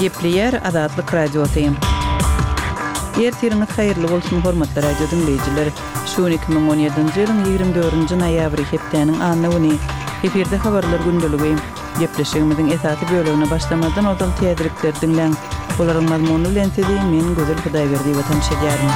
Gepleýär Azatlyk Radiosy. Ertiriňiz haýyrly bolsun, hormatly radio diňleýjiler! Şu gün 2017-nji ýylyň 24-nji noýabry, hepdäniň anna güni. Efirde habarlar gündeligi. Gepleşigimiziň esasy bölegine başlamazdan ozal täzelikleri diňläň. Olaryň mazmuny bilen sizi men, Gözel Hudaýberdiýewa tanyş edýärin.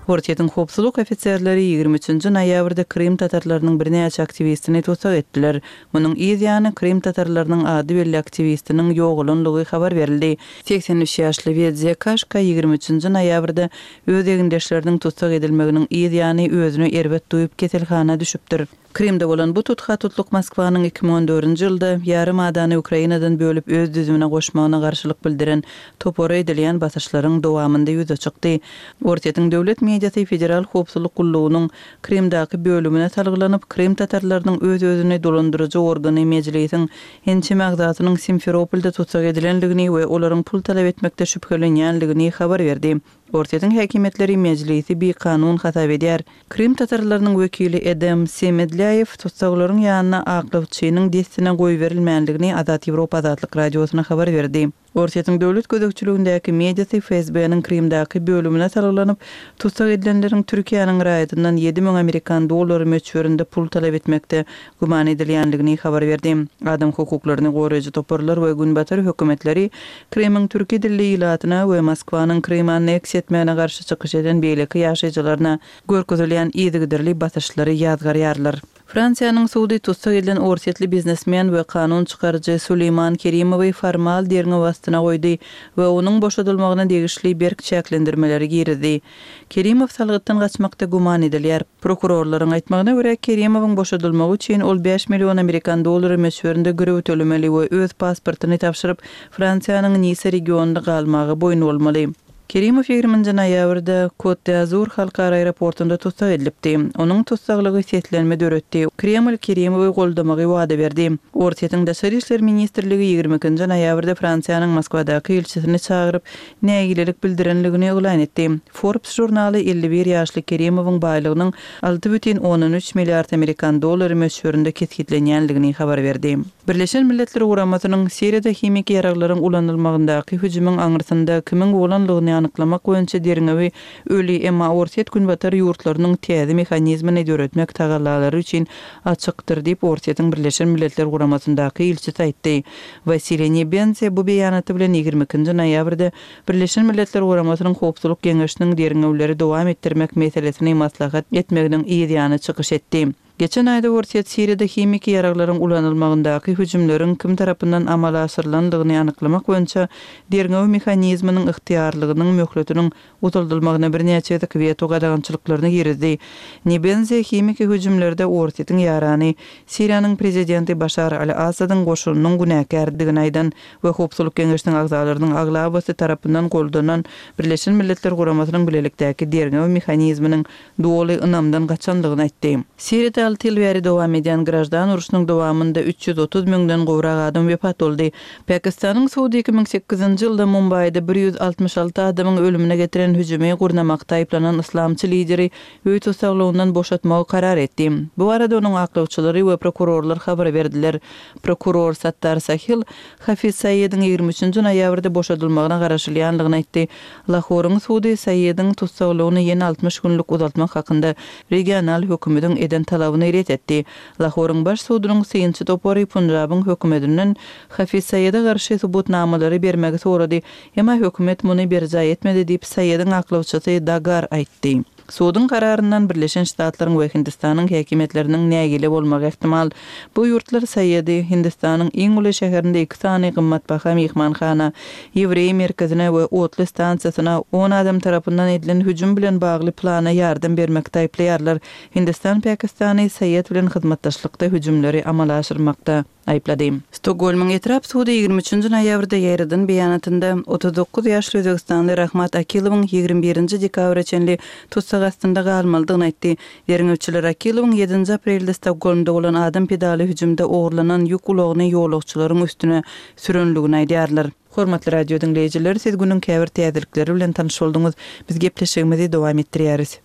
Orsýetiň howpsuzlyk ofiserleri 23-nji noýabrda krym tatarlarynyň birnäçe aktiwistini tussag etdiler. Munuň yz ýany, krym tatarlarynyň ady belli aktiwistiniň ýogalanlygy habar berildi. 83 ýaşly Wedze Kaşka 23-nji noýabrda öz egindeşleriniň tussag edilmeginiň yz ýany özüni erbet duýup keselhana düşüpdir. Krymda bolan bu tutha-tutluk Moskwanyň 2014-nji ýylda ýarym adany Ukrainadan bölüp öz düzümine goşmagyna garşylyk bildiren topara edilýän basyşlaryň dowamynda ýüze çykdy. Orsýetiň döwlet mediasy Federal howpsuzlyk gullugynyň Krymdaky bölümine salgylanyp, krym tatarlarynyň öz-özüni dolandyryjy organy Mejlisiň ençeme agzasynyň Simferopolda tussag edilendigini we olaryň pul talap etmekde şübhelenýändigini habar berdi. Orsýetiň häkimiýetleri Mejlisi bikanun hasap edýär. Krym tatarlarynyň wekili Edem Semedlýaýew tussaglaryň ýanyna aklawçynyň dessine goýberilmändigini Azat Ýewropa Azatlyk Radiosyna habar berdi. Orsýetiň döwlet gözegçiligindäki mediasy FSB-niň Krymdaky bölümine salgylanyp, tussag edilenleriň Türkiýäniň raýatyndan 7000 amerikan dollary möçberinde pul talap etmekde güman edilýändigini habar berdi. Adam hukuklaryny goraýjy toparlar we günbatar hökümetleri Krymyň türki dilli ilatyna we Moskwanyň Krymy anneksiýa etmegine garşy çykyş eden beýleki ýaşaýjylaryna görkezilýän yzygiderli basyşlary ýazgarýarlar. Fransiýanyň sudy tussag edilen orsýetli biznesmen we kanun çykaryjy Suleýman Kerimowy formal derňew astyna goýdy we onuň boşadylmagyna degişli berk çäklendirmeleri girizdi. Kerimow salgytdan gaçmakda güman edilýär. Prokurorlaryň aýtmagyna görä, Kerimowyň boşadylmagy üçin ol bäş million amerikan dollary möçberinde girew tölemeli we öz pasportyny tabşyryp, Fransiýanyň Nissa regionynda galmaga boýun bolmaly. Kerimow ýigriminji noýabrda Kot-d'Azur halkara aeroportunda tussag edilipdi. Onuň tussaglygy seslenme döretdi. Kreml Kerimowy goldamagy wada berdi. Orsýetiň Daşary işler ministrligi ýigrimi ikinji noýabrda Fransiýanyň Moskwadaky ilçisini çagyryp, nägilelik bildirenligini yglan etdi. Forbes žurnaly 51 ýaşly Kerimowyň baýlygynyň 6,3 milliard amerikan dollary möçberinde kesgitlenýändigini habar berdi. Birleşen Milletler Guramasynyň Siriýada himiki ýaraglaryň ulanylmagyndaky hüjümiň aňyrsynda kimiň bolanlygyny anyklamak boýunça derňewi öli, emma Orsýet günbatar ýurtlarynyň täze mehanizmini döretmek tagallalary üçin açykdyr diýip, Orsýetiň Birleşen Milletler Guramasyndaky ilçisi aýtdy. Wasiliý Nebenze bu beýanaty bilen 22-nji noýabrda Birleşen Milletler Guramasynyň Howpsuzlyk Geňeşiniň derňewleri dowam etdirmek meselesini maslahat etmeginiň yz ýany çykyş etdi. Geçen aýda Orsýet Siriýada himiki ýaraglaryň ulanylmagyndaky hüjümleriň kim tarapyndan amala aşyrylandygyny anyklamak boýunça derňew mehanizminiň ygtyýarlygynyň möhletiniň uzaldylmagyna birnäçe gezek weto gadagançylyklaryny girizdi. Nebenze himiki hüjümlerde Orsýetiň ýarany, Siriýanyň prezidenti Başar al-Assadyň goşunynyň günäkärdigini aýdan we Howpsuzlyk Geňeşiniň agzalarynyň aglabasy tarapyndan goldanan Birleşen Milletler Guramasynyň bilelikdäki derňew mehanizminiň doly ynamdan gaçandygyny aýtdy. Siriýada alty ýyl bäri dowam edýän graždan urşunyň dowamynda 330 müňden gowrak adam wepat boldy. Pakistanyň sudy 2008-nji ýylda Mumbaýda 166 adamyň ölümine getiren hüjümi gurnamakda aýyplanan yslamçy lideri öý tussaglygyndan boşatmagy karar etdi. Bu barada onuň aklawçylary we prokurorlar habar berdiler. Prokuror Sattar Sahil Hafiz Saýediň 23-nji noýabrda boşadylmagyna garaşylýandygyny aýtdy. Lahoryň sudy Saýediň tussaglygyny ýene 60 günlük uzaltmak hakynda regional hökümediň eden talabyny ret etdi. Lahoryň baş sudunyň synçy topary Punjabyň hökümedinden Hafiz Saýede garşy subutnamalary bermegi sorady, emma hökümet muny berjaý etmedi diýip, Saýediň aklawçysy Dagar aýtdy. Suduň kararyndan Birleşen Ştatlaryň we Hindistanyň häkimiýetleriniň nägile bolmagy ähtimal. Bu ýurtlar Saýedi Hindistanyň iň uly şäherinde iki sany gymmatbaha myhmanhana, ýewreý merkezine we otly stansiýasyna on adam tarapyndan edilen hüjüm bilen bagly plana ýardam bermekde aýyplaýarlar. Hindistan Pakistany Saýed bilen hyzmatdaşlykda hüjümleri amala aşyrmakda. Aýyplady. Stokgolmyň etrap sudy 23-nji noýabrda ýaýradan beýanatynda, 39 ýaşly özbegistanly Rahmat Akilowyň 21-nji dekabra çenli tussag astynda galmalydygyny aýtdy. Derňewçiler Akilowyň ýedinji aprelde Stokgolmda bolan adam pedaly hüjümde ogurlanan ýük ulagyny ýolagçylaryň üstüne sürenligini aýdýarlar. Hormatly radio diňleýjiler, siz günüň käbir täzelikleri bilen tanyş bolduňyz. Biz gepleşigimizi dowam etdirýäris.